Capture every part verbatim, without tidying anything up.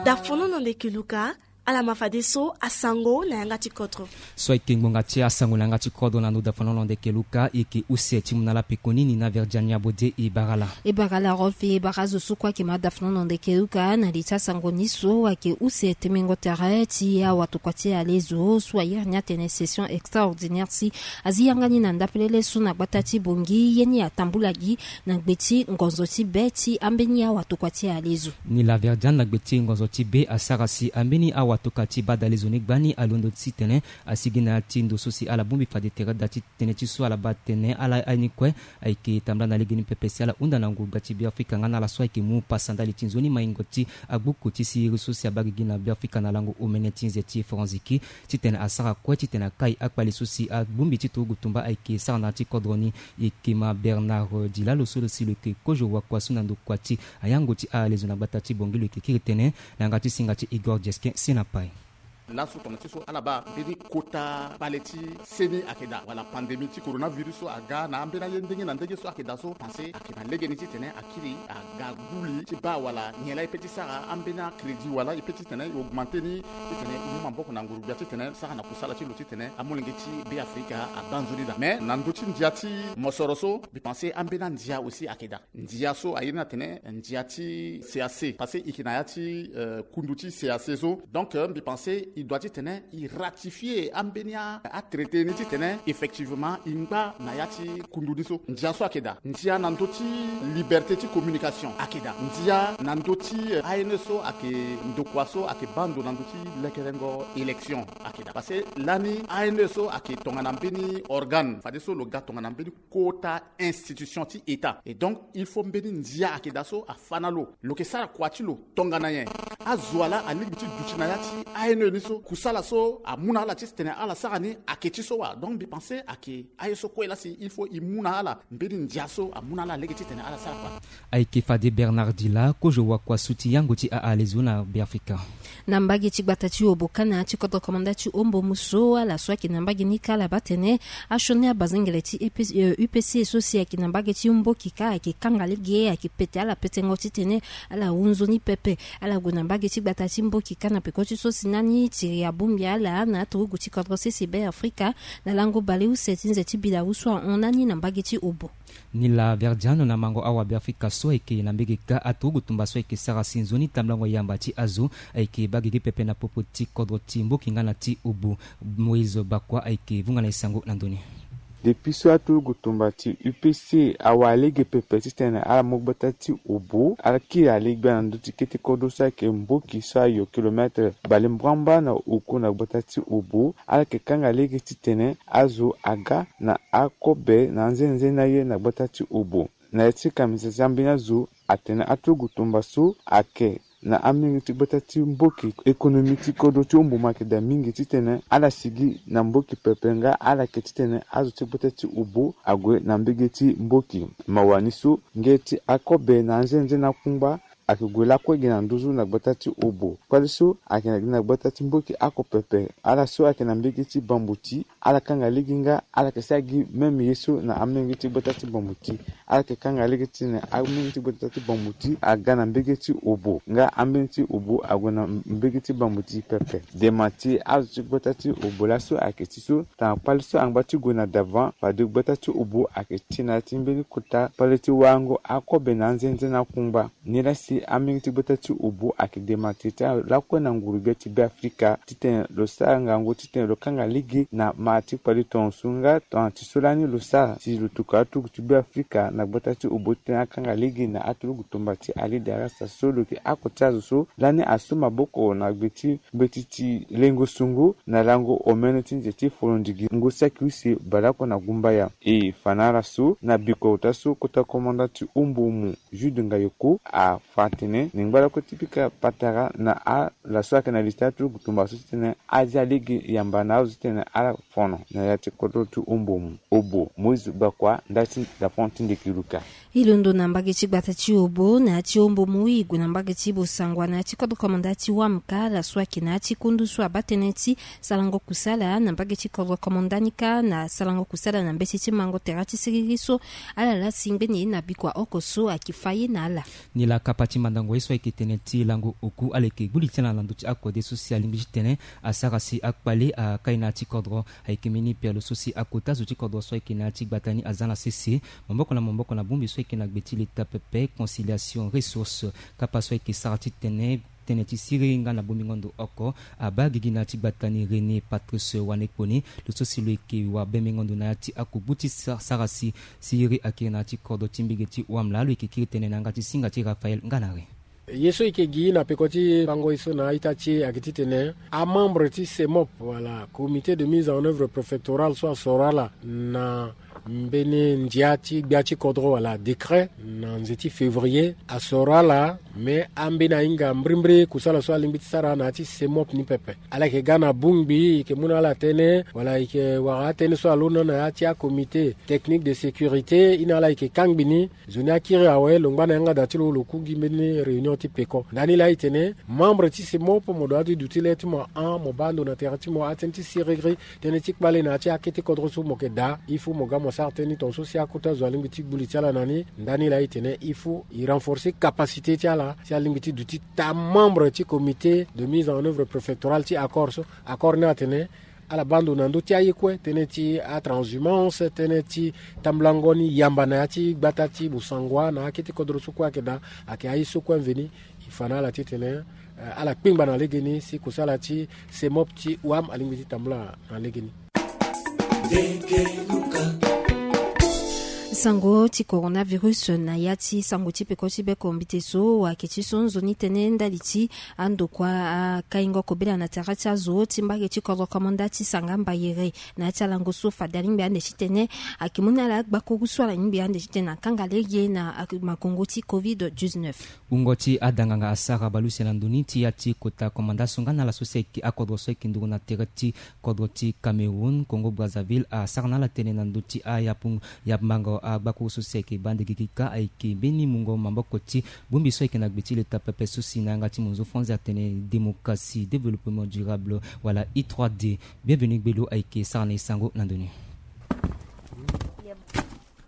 Dafono na ndeke luka. Ala ma fadeso asango na yanga ti kodro. So ayeke ngbonga ti asango na yanga ti kodro na ndo dafono na ndeke luka, e yeke use ti mu na ala pekoni ni na Virginia Bode e bara ala. E bara ala Rolfe, e bara azo so kue ayeke ma dafono na ndeke luka na li ti asango ni so ayeke use temengo tere ti awatokua ti alezo so ayere ni atene session extraordinaire si azi yanga ni na ndapelele so na gbata ti Bongi ye ni atambula gi na gbe ti ngonzo ti be ti ambeni awatokua ti alezo. Ni la Verdiane na gbe ti ngonzo ti be asara si ambeni awatokua ti badalezo ni gbani alondo titene asigi na ya ti ndo so si ala bongbi fade tere da ti tënë ti so ala baa tene ala aye ni kue ayeke tambula na lege ni pepe si ala hunda na ngurugba ti Beafrika nga na ala so ayeke mu pasa ndali ti nzoni maingo ti agbuku ti siriri so si abaa gigi na Beafrika na lango omene ti nze ti Franziki titene asara kue titene akai akpale so si abongbi ti turugu tumba ayeke sara na ya ti kodro ni. E yeke ma Bernard Dilalo so lo si lo yeke kozo wakua so na ndokua ti ayango ti alezo na gbata ti Bongi lo yeke kiri tënë na yanga ti singa ti Igor Dieske si na pai. Laso tongana ti so ala baa mbeni kota kpale ti seni ayeke daa wala pandémie ti coronavirus so aga na ambeni aye ndenge na ndenge so ayeke daa so, pensé ayeke na lege ni titene akiri aga gbu li ti baa wala nyen laa e pe ti sara ambeni acrédit wala e pe titene e augmenté ni titene e mu maboko na nguru-gbia titene sara na kusala ti lo titene amolenge ti Beafrika abaa nzoni daa. Mais na ndö ti ndia ti mosoro so mbi pensé ambeni andia aussi ayeke daa. Ndia so aye ni atene ndia ti C A C, parce que e yeke na ya ti, euh, kundu ti C A C so. Donc, euh, mbi pensé e doit titene e ratifié ambeni a, atraité ni titene effectivement e ngba na ya ti kundu ni so. Ndia so ayeke daa. Ndia na ndö ti liberté ti communication ayeke daa. Ndia na ndö ti, euh, A N E so ayeke ndokua so ayeke baa ndo na ndö ti lekerengo élection ayeke daa. Parce que lani A N E so ayeke tongana mbeni organe fadeso lo ga tongana mbeni kota institution ti État. Et donc il faut mbeni ndia ayeke daa so afa na lo. Lo yeke sara kua ti lo tongana nyen? Azo wa laa alingbi ti duti na ya ti A N E ni so. Kusala so amu na ala ti tene ala sara ni ayeke ti so wa. Donc mbi pensé ayeke aye so kue laa si il faut e mu na ala mbeni ndia so amu na ala lege ti tene ala sara kua. Ayeke fade Bernard Dila, kozo wakua so ti yango ti a alezo na Beafrika. Na mbage ti gbata ti Obo kâ na ya ti kodro komanda ti Ombo mu so, ala so ayeke na mbage ni kâ ala baa tene asioni abazengele ti E P, euh, U P C so si ayeke na mbage ti Mboki kâ ayeke kanga lege, ayeke pete ala petengo titene ala hu nzoni pepe. Ala gue na mbage ti gbata ti Mboki kâ na peko ti so si nani tiri abongbi ala na aturugu ti kodro sese Beafrika na lango baleuse ti nze ti bilawu so ahon nani na mbage ti Obo. Ni la Verdiano na mango awa Beafrika so ayeke na mbege kâ aturugu tumba so ayeke sara si nzoni tambulango yamba ti azo ayeke baa gigi pepe na popo ti kodro ti Mboki nga na ti Obo. Moïse Bakua ayeke vunga na e sango na ndö ni. Depuis so aturugu tumba ti U P C awa lege pepe titene ala mu gbata ti Obo, ala kiri ale gbia na ndö ti kete kodro so ayeke Mboki so ayo kilomètre bale mbramba na oku na gbata ti Obo. Ala yeke kanga lege titene azo aga na akobe na anzenze na ye na gbata ti Obo. Na ya ti kamisa ti ambeni azo atene aturugu tumba so ayeke na amenge ti gbata ti Mboki. Économie ti kodro ti Ombo mo ayeke daa mingi titene ala sigi na Mboki pepe nga ala yeke titene azo ti gbata ti Obo ague na mbege ti Mboki. Mawa ni so nge ti akobe na anzenze na akungba ayeke gue lakue gi na nduzu na gbata ti Obo. Kpale so ayeke na gbata ti Mboki oko pepe. Ala so ayeke na mbege ti Bambuti, ala kanga lege nga ala yeke sara gi même ye so na amenge ti gbata ti Bambuti. Ala yeke kanga lege titene amenge ti gbata ti Bambuti aga na mbege ti Obo nga ambeni ti Obo ague na mbege ti Bambuti pepe. Dema ti azo ti gbata ti Obo laso ayeke ti so tongana kpale so angba ti gue na devant, fade gbata ti Obo ayeke ti na ya ti mbeni kota kpale ti warango akobe na anzenze na akungba. Nilaa si amenge ti gbata ti Obo ayeke dema tete lakue na nguru-gbia ti Beafrika titene lo sara ngangu titene lo kanga lege na ma ti kpale tongaso nga tongana ti so lani lo sara si lo tokua aturugu ti Beafrika na gbata ti Obo titene akanga lege na aturugu tumba ti Alida Rasta so lo yeke oko ti azo so lani asu maboko na gbe ti mbeti ti lengo sungu na lango omene ti nze ti folondigi ngu saki use baleoko na gumbaya. E fa na ala so na bikota so kota komanda ti Ombo mu Jude Ngayoko afa atene ni ngba lakue ti pika patara na ala so ayeke na li ti aturugu tumba so titene azia lege yamba na azo titene ala fo kono na ya ti kodro ti Ombomu, Obo Moïse Gbakua, nda ti dapon ti ndeki luka. E londo na mbage ti gbata ti Obo na ya ti Ombomu, e gue na mbage ti Bosangwa na ya ti kodro komanda ti Wamka, ala so ayeke na ya ti kundu so abaa tënë ti sarango kusala na mbage ti kodro komanda ni kâ na sarango kusala na mbeti ti mango tere ti siriri so ala lasi ngbeni na bikua oko so ayeke fa ye na ala. Ni laa kapa ti mandango ye so ayeke tene ti lango oku, ala yeke gbu li ti ala na ndö ti akode so si alingbi ti tene asara si akpale akai na ya ti kodro. Ayeke mbeni pialo so si akota zo ti kodro so ayeke na ya ti gbata ni aza na sese maboko na maboko na bongbi so ayeke na gbe ti leta pepe, conciliation ressource. Kapa so ayeke sara ti tene tënë ti siriri nga na bongbingo ndo oko abaa gigi na ya ti gbata ni René Patrice Wanekponi, lo so si lo yeke wabembengo ndo na ya ti akogbu ti sa- sara si siriri akiri na ya ti kodro ti mbage ti Wamla. Lo yeke kiri tënë na yanga ti singa ti Raphaël Nganare. Ye so e yeke gi na peko ti bango ye so na a-ita ti e ayeke titene amembre ti CEMOP, wala Comité de Mise en Œuvre Préfectorale so asoro ala na mbeni ndia ti gbia ti kodro wala décret na nze ti février, asoro ala. Me ambeni ahinga mbirimbiri kusala so alingbi ti sara na ya ti CEMOP ni pepe. Ala yeke ga na bongbi, e yeke mu na ala tënë wala e yeke wara atënë so alondo na ya ti acomité technique de sécurité, e na ala e yeke kangbi ni. Zo ni akiri awe, lo ngba na yanga daa ti lo, lo ku gi mbeni réunion ti peko. Ndani laa e tene membre ti CEMOP, mo dua ti duti le ti mo ahon, mo baa ndo na tere ti mo, atënë ti siriri, tënë ti kpale na ya ti akete kodro so mo yeke daa. Il faut mo ga mo sara tënë ni tongaso si akota zo alingbi ti gbu li ti ala na ni. Ndani laa e tene il faut e renforcer capacité ti ala si alingbi ti duti taa membre ti comité de mise en œuvre préfectorale ti accord so. Accord ni atene ala baa ndo na ndö ti aye kue, tënë ti atranshumance, tënë ti tambulango ni yamba na ya ti gbata ti Bosangwa na akete kodro so kue ayeke daa. Ayeke aye so kue mveni e fa na ala titene, eh, ala kpengba na legeni si kusala ti CEMOP ti WAM alingbi ti tambula na legeni. Sango ti coronavirus na ya ti sango ti peko ti beko mbite so, ayeke ti so nzoni tënë ndali ti andokua akaingo kobela na tere ti azo ti mbage ti kodro komanda ti Sanga Mbayere. Na ya ti alango so fade alingbi ande titene ayeke mu na ala agbakuru so ala lingbi ande titene akanga lege na makongo ti covid dix-neuf. Wungo ti adanganga asara baleuse na ndo ni ti ya ti kota komanda so nga na ala so si ayeke akodro so ayeke nduru na tere ti kodro ti Cameroun, Congo Brazzaville, asara na ala tënë na ndö ti ayapu- yambango agbakuru so si ayeke baa nde gigi kâ ayeke mbeni mungo maboko ti bongbi so ayeke na gbe ti leta pepe so si na yanga ti monzo franzi atene démocratie, développement durable, wala I trois D. Bienvenu Gbelo ayeke sara na e sango na ndo ni.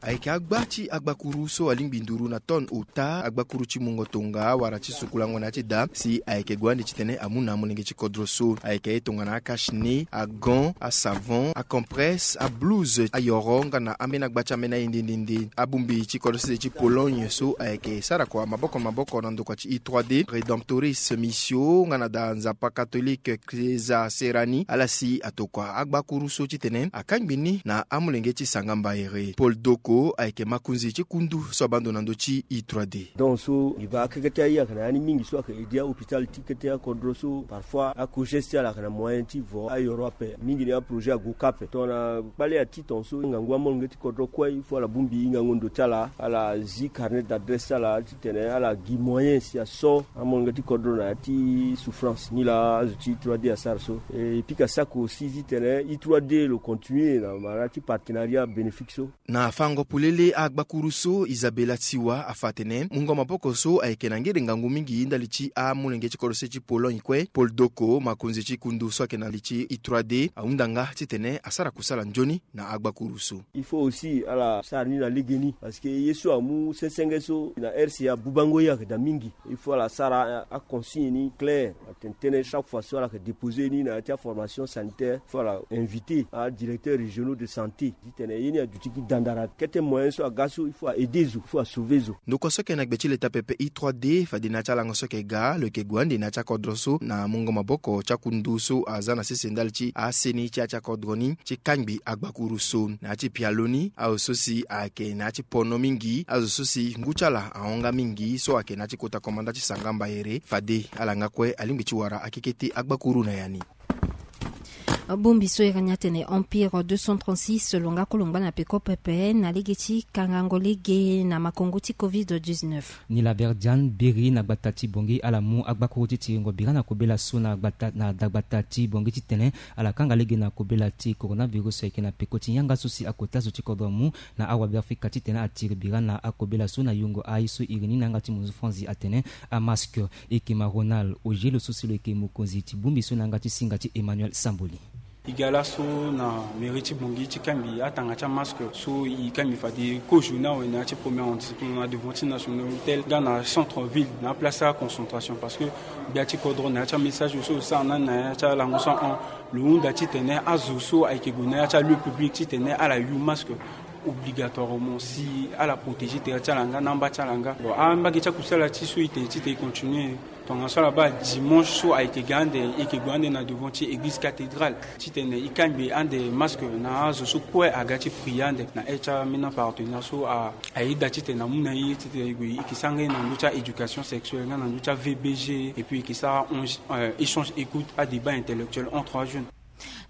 Ayeke agba ti agbakuru so alingbi nduru na tonne ota, agbakuru ti mungo tonga wala ti sukulango na ya ti da, si ayeke gue ande titene amu na amolenge ti kodro so. Ayeke aye tongana akache-nez, agant, asavon, acompresse, ablouse, ayoro nga na ambeni agba ti ambeni aye nde nde nde. Abongbi ti kodro sese ti Pologne so ayeke sara kua maboko na maboko na ndokua ti I trois D Redemptoris Missio nga na da nzapa catholique Chiesa Serrani, ala si atokua agbakuru so titene akangbi ni na amolenge ti Sanga Mbayere. Paul Doko ayeke makonzi ti kundu so abaa ndo na ndö ti I trois D. Donc so e baa keke ti aye ayeke na ya ni mingi so ayeke aide ahôpital ti kete akodro so. Parfois akoges ti ala ayeke na moyen ti vo ayoro ape. Mingi ni aprojet ague kâ ape. Tongana kpale ati tongaso ngangu amolenge ti kodro kue, il faut ala bongbi hingango ndo ti ala, ala zi carnet d'adresse ti ala titene ala gi moyen si aso amolenge ti kodro na ya ti souffrance. Nilaa azo ti I trois D asara so. E pika sako aussi titene I trois D lo continuer na mara ti partenariat bénéfique so. Na fango polele agbakuru so, Isabella Tsiwa afa atene mungo maboko so ayeke na ngere ngangu mingi ndali ti amolenge ti kodro se ti Pologne kue. Paul Doko, makonzi ti kundu so ayeke na li ti I trois D, ahunda nga titene asara kusala nzoni na agbakuru so. Il faut aussi ala sara ni na legeni, parce que ye so amu sensenge so na R C A abubango ye ayeke daa mingi. Il faut ala sara aconsigne ni clair, atene tënë chaque fois so ala yeke déposer ni na ya ti aformation sanitaire, il faut ala inviter adirecteur régionaux de santé titene ye ni aduti gi dandara. Kete moyen so aga so, il faut aaider zo, il faut asauver zo. Ndokua so ayeke na gbe ti leta pepe I trois D fade na ya ti alango so ayeke ga, lo yeke gue ande na ya ti akodro so na mungo maboko ti akundu so aza na sese ndali ti aseni ti ya ti akodro ni ti kangbi agbakuru so. Na ya ti pialo ni, azo so si ayeke na ya ti pono mingi, azo so si ngu ti ala ahon nga mingi so ayeke na ya ti kota komanda ti Sanga Mbayere, fade ala nga kue alingbi ti wara akekete agbakuru na ya ni. Bongbi so e rani atene Empire deux cent trente-six lo nga kolo ngba na peko pepe na lege ti kangango lege na makongo ti covid dix-neuf. Ni la Verdiane biri na gbata ti Bangui ala mu agbakuru ti tiringo bira na kobela so na gbata na dagbata ti Bangui titene ala kanga lege na kobela ti coronavirus ayeke na peko ti yanga so si akota zo ti kodro amu na awabeafrika titene atiri bira na akobela so na yongo aye so iri ni na yanga ti monzu franzi atene amask. Eke ma Ronald Ogelo so si lo yeke mokonzi ti bongbi so na yanga ti singa ti Emmanuel Samboli. E ga laso na mairie ti Bangui ti kangbi atanga ti amask so e kangbi fade kozo ni awe na ya ti premier arrondissement na devant ti National Hotel nga na centre ville na aplace ti aconcentration parce que gbia ti kodro na ya ti amessage so lo sara na ni na ya ti alango so ahon lo hunda titene azo so ayeke gue na ya ti alieu public titene ala yu mask obligatoirement si ala protéger tere ti ala nga na amba ti ala nga. Bon, ambage ti akusala ti so e tene titene e continue. Tongaso ala baa dimanche so ayeke ga ande e yeke gue ande na devant ti église cathédrale titene e kangbi ande mask na azo so kue aga ti prier ande na aire ti ambeni apartenaire so a ayeda titene amu na e titene e gue e yeke sara nga e na ndö ti a-éducation sexuelle nga na ndö ti a-V B G et puis e yeke sara échange écoute, adébat intellectuel entre ajeunes.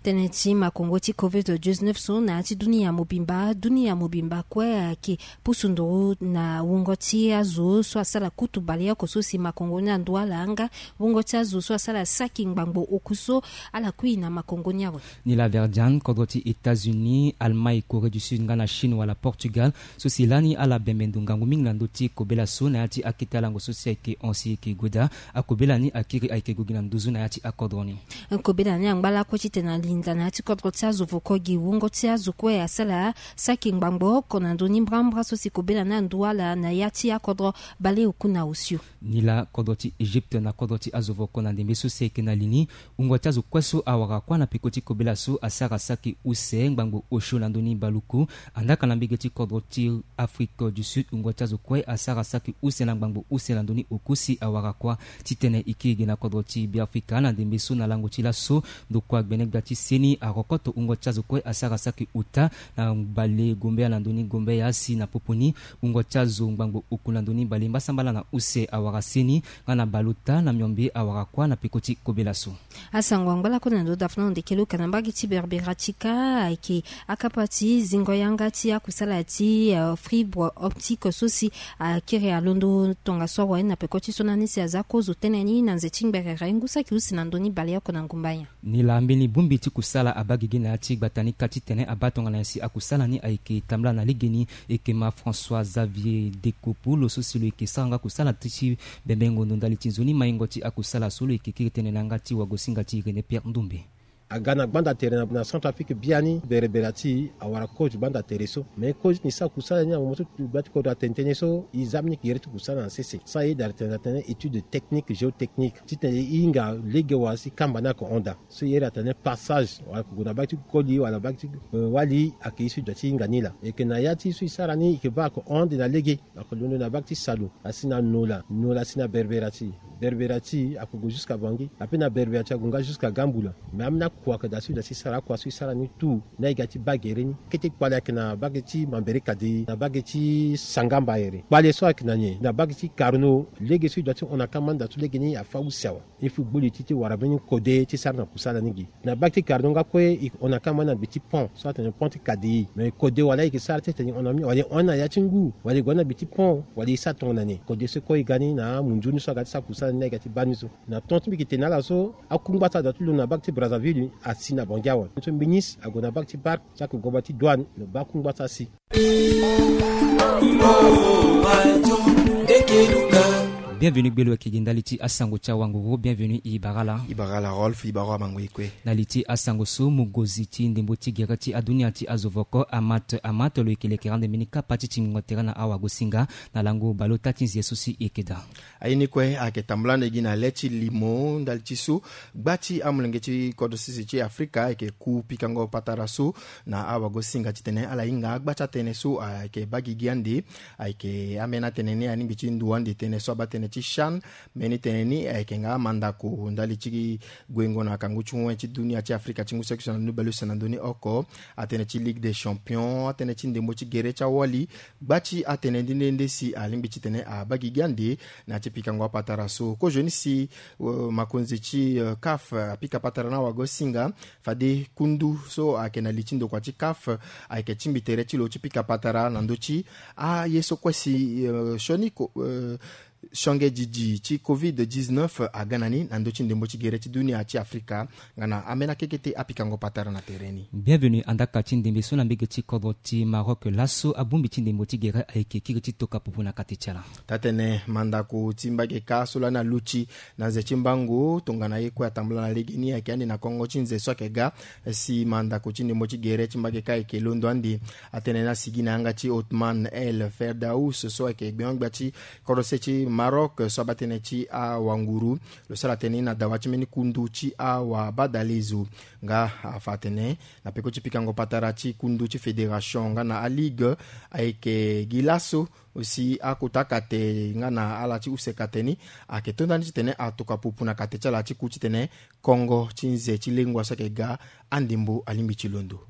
Tënë ti makongo ti covid dix-neuf so na ya ti dunia mobimba dunia mobimba kue ayeke pusu nduru na wungo ti azo so asara kutu baleoko so si makongo ni andu ala nga wungo ti azo so asara saki ngbangbo oku so ala kui na makongo ni awe. Ni la Verdiane kodro ti États-Unis, Allemagne, Corée du Sud nga na Chine wala Portugal so si lani ala bembe ndo ngangu mingi na ndö ti kobela so na ya ti akete alango so si ayeke hon si e yeke gue daa. Akobela ni akiri ayeke gue gi na nduzu na ya ti akodro ni. Kobela ni angba lakue titene alinda na ya ti kodro ti azo voko gi wungo ti azo kue asara saki ngbangbo oko na ndö ni mbrambra so si kobela ni andu ala na ya ti akodro baleoku na osio. Ni laa kodro ti Egypte na kodro ti azo voko na ndembe so si ayeke na li ni wungo ti azo kue so awara kuâ na peko ti kobela so asara saki use ngbangbo osio na ndö ni baluku. Andaa ka na mbege ti kodro ti Afrique du Sud wungo ti azo kue asara saki use na ngbangbo use na ndö ni oku si awara kuâ. Titene e kiri gi na kodro ti Beafrika na ndembe so na lango ti laso ndokua gbene gbia ti seni arokoto wungo ti azo kue asara saki ota na bale gombeya na ndö ni gombeya si na popo ni wungo ti azo ngbangbo oku na ndö ni bale mbasambala na use awara seni nga na baleota na miombe awara kuâ na peko ti kobela so. Asango angba lakue na ndö dafuna ondekelo ka na mbage ti Berberatika ayeke akapa ti zingo yanga ti akusala ti fibre optique so si akiri alondo tongaso awe na peko ti so na ni si aza kozo tënë ni na nze ti ngberere ngu saki use na ndö ni baleoko na ngumba nyen. Ni laa mbeni bongbi ti kusala abaa gigi na ya ti gbata ni kâ titene abaa tongana nyen si akusala ni ayeke tambula na legeni. Eke ma François Xavier Dekopu lo so si lo yeke sara nga kusala ti ti bembengo ndo ndali ti nzoni maingo ti akusala so lo yeke kiri tënë na yanga ti wagosinga ti René Pierre Ndombe. Aga na gbanda tere na Centrafrique biani berebere ati awara kozo gbanda tere so me kozo ni sa kusala ni na momo so gbati kodro atene tënë so e za mbeni gere ti kusala na sese sa e yeda tene na tene étude technique géotechnique titene e hinga lege wala si kamba ni ayeke hon daa. So e yeda tene passage wala ko gue na bage ti koli wala bage ti wali ayeke ye so e doit ti hinga ni laa. Eke na ya ti so e sara ni eke baa ayeke hon ande na lege. Ako londo na bage ti salu asi na nola nola asi na berbera ti berbera ti ako gue jusqu'à bangi ape na berbera ti ako nga jusqu'à gambula. Mais amena kuaka da so ida si sara akua so isara ni tout na iga ti bagere ni kete kpale ayeke na bage ti mambere kade na bage ti sangamba ere kpale so ayeke na nyen na bage ti karno lege so idua ti hon na kama ni da so lege ni afa use awa. Il faut gboli ti ti wara mbeni kode ti sara na kusala ni gi na bage ti karno nga kue i hon na kama ni na gbe ti pont so atene pont ti kade mais kode wala ike sara ti tene i hon na mi wala i hon na ya ti ngu wala i gue na gbe ti pont wala i sara tongana nyen kode so kue i ga ni na amunzu ni so aga ti sara kusala ni na i ga ti baa ni so. Na ton ti mbi yeke tene na ala so akungba so ada ti lo na bage ti Brazzaville asi na bangi awe so mbinisi ague na bage ti bark so ake goba ti douane lo baa akungba so asi. Bienvenu gbelo ayeke gi ndali ti asango ti awanguru bienvenu i bara ala. I bara ala Rolf i bara amango ye kue. Na li ti asango so mogozi ti ndembo ti gere ti adunia ti azo voko amat amat lo yeke lekere ande mbeni kapa ti tingbingo tere na awagosinga na lango baleota ti nzie so si e yeke daa. Aye ni kue ayeke tambula ande gi na le ti limo ndali ti so gba ti amolenge ti kodro sese ti Afrika ayeke ku pikango patara so na awagosinga titene ala hinga agba ti atënë so ayeke baa gigi ande. Ayeke ambeni atënë ni alingbi ti ndu ande tënë so abaa tënë ti CHAN. Mbeni tënë ni ayeke nga mandako ndali ti guengo na kangu ti wen ti dunia ti Afrika ti ngu saki so na ndoni baleuse na ndoni oko, atënë ti Ligue des Champions, atënë ti ndembo ti gere ti awali. Gba ti atënë nde nde nde si alingbi titene abaa gigi ande na ya ti pikango apatara so. Kozoni si makonzi ti CAF apika patara na wago singa fade kundu so ayeke na li ti ndokua ti CAF ayeke tingbi tere ti lo ti pika patara na ndö ti aye so kue si sioni sionge didi ti covid dix-neuf aga na ni na ndö ti ndembo ti gere ti dunia ti Afrika. Nga na ambeni akekete apikango patara na tere ni. Bienvenu andaka ti ndembe so na mbege ti kodro ti Maroc laso abongbi ti ndembo ti gere ayeke kiri ti toka pupu na kate ti ala. Tatene mandako ti mbage kâ so lani aluti na nze ti mbango tongana ye kue atambula na legeni ayeke ande na kongo ti nze so ayeke ga. Si mandako ti ndembo ti gere ti mbage kâ ayeke londo ande atene na sigi na yanga ti Otman El Ferdaous so ayeke gbengo-gbia ti kodro se ti Maroc so abaa tënë ti awanguru. Lo sara tënë ni na dawa ti mbeni kundu ti awabadalezo. Nga afa atene na peko ti pikango patara ti kundu ti fédération nga na aligue ayeke gi laso si akota kate nga na ala ti use kate ni ayeke to ndani titene atoka pupu na kate ti ala ti ku titene kongo ti nze ti lengua so ayeke ga andembo alingbi ti londo.